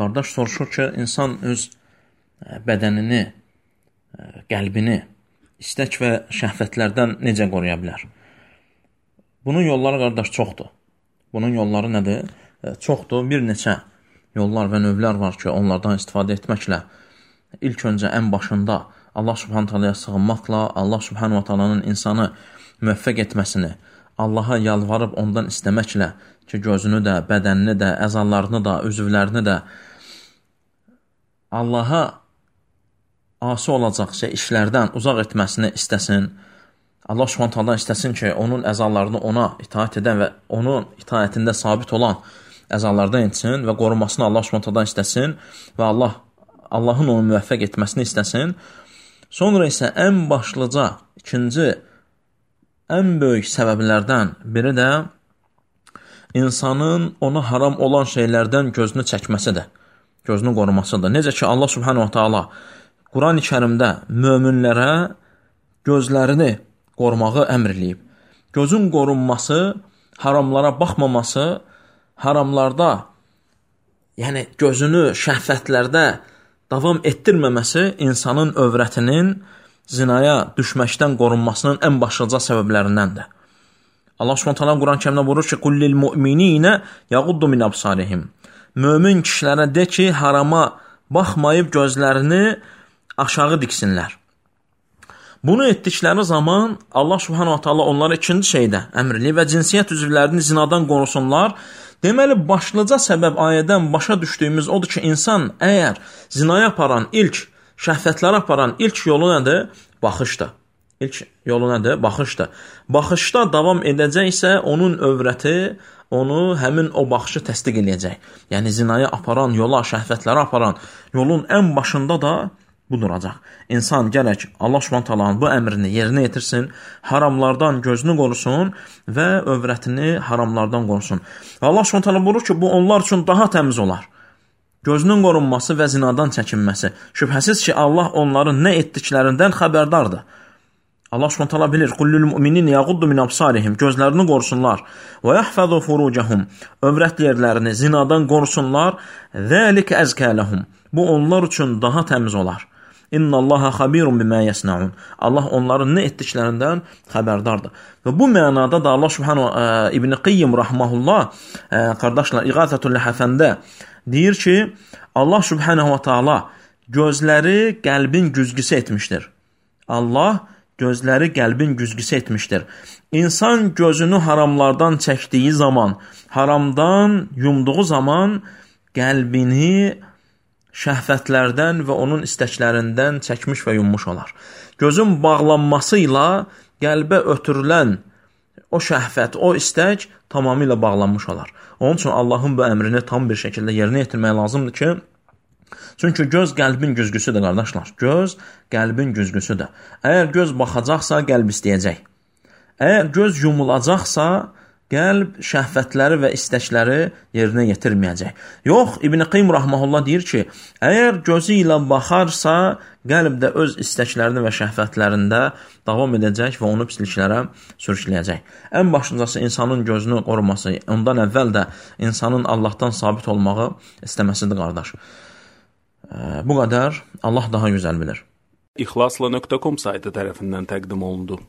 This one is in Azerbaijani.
Qardaş soruşur ki, insan öz bədənini, qəlbini istək və şəhvətlərdən necə qoruya bilər? Bunun yolları, qardaş, çoxdur. Bunun yolları nədir? Çoxdur. Bir neçə yollar və növlər var ki, onlardan istifadə etməklə ilk öncə ən başında Allah subhanahu teala'ya sığınmaqla, Allah subhanahu teala'nın insanı müvəffəq etməsini, Allaha yalvarıb ondan istəməklə ki, gözünü də, bədənini də, əzalarını da, üzvlərini də Allaha asi olacaqsa işlərdən uzaq etməsini istəsin. Allah subhanahu teala istəsin ki, onun əzalarını ona itaat edən və onun itaətində sabit olan əzalardan etsin və qorunmasını Allah subhanahu teala istəsin və Allahın onu müvəffəq etməsini istəsin. Sonra isə ən başlıca, ikinci, ən böyük səbəblərdən biri də insanın ona haram olan şeylərdən gözünü çəkməsidir, gözünü qorumasıdır. Necə ki, Allah subhanahu teala Quran-ı Kərimdə möminlərə gözlərini qorumağı əmr eləyib. Gözün qorunması, haramlara baxmaması, haramlarda, yəni gözünü şəhvətlərdə davam etdirməməsi insanın övrətinin zinaya düşməkdən qorunmasının ən başlıca səbəblərindəndir. Allah Subhanahu taala Quran-ı Kərimdə buyurur ki: "Kullil mu'minina yağuddu min absarihim." Mömin kişilərə de ki, harama baxmayıb gözlərini aşağı diksinlər. Bunu etdikləri zaman Allah Subhanahu taala onlara ikinci şeydə əmr eləyir və cinsiyyət üzvlərini zinadan qorusunlar. Deməli, başlıca səbəb ayədən başa düşdüyümüz odur ki, insan əgər zinaya aparan ilk, şəhvətlərə aparan ilk yolu nədir? Baxışdır. İlk yolu nədir? Baxışdır. Baxışda davam edəcəksə, onun övrəti onu həmin o baxışı təsdiq edəcək. Yəni, zinaya aparan yola, şəhvətlərə aparan yolun ən başında da bu duracaq. İnsan gərək Allah Subhanahu taalanın bu əmrini yerinə yetirsin, haramlardan gözünü qorusun və övrətini haramlardan qorusun. Və Allah Subhanahu taala buyurur ki, bu onlar üçün daha təmiz olar. Gözünün qorunması və zinadan çəkinməsi. Şübhəsiz ki, Allah onların nə etdiklərindən xəbərdardır. Allah Subhanahu taala bilir: "Kullul mu'minin yağuddu min absarihim." Gözlərini qorusunlar. "Və yahfazu furucahum." Övrət yerlərini zinadan qorusunlar. "Zalika azka lahum." Bu onlar üçün daha təmiz olar. "İnnallaha xabirun bima yasnaun." Allah onların nə etdiklərindən xəbərdardır. Və bu mənada da Allah Subhanahu İbn Qayyim rahmehullah qardaşlar İğazatul Ləhafəndə deyir ki, Allah Subhanahu taala gözləri qəlbin güzgüsü etmişdir. Allah gözləri qəlbin güzgüsü etmişdir. İnsan gözünü haramlardan çəkdiyi zaman, haramdan yumduğu zaman qəlbini şəhvətlərdən və onun istəklərindən çəkmiş və yummuş olar. Gözün bağlanması ilə qəlbə ötürülən o şəhvət, o istək tamamilə bağlanmış olar. Onun üçün Allahın bu əmrini tam bir şəkildə yerinə yetirmək lazımdır ki, çünki göz qəlbin güzgüsüdür, qardaşlar. Göz qəlbin güzgüsüdür. Əgər göz baxacaqsa, qəlb istəyəcək. Əgər göz yumulacaqsa, qəlb şəhvətləri və istəkləri yerinə yetirməyəcək. Yox, İbn Qayyim rahmehullah deyir ki, əgər gözü ilə baxarsa, qəlb də öz istəklərini və şəhvətlərində davam edəcək və onu pisliklərə sürükləyəcək. Ən başlıcası insanın gözünü qoruması, ondan əvvəl də insanın Allahdan sabit olmağı istəməsidir, qardaş. Bu qədər. Allah daha gözəl bilir. İxlasla.com saytı tərəfindən təqdim olundu.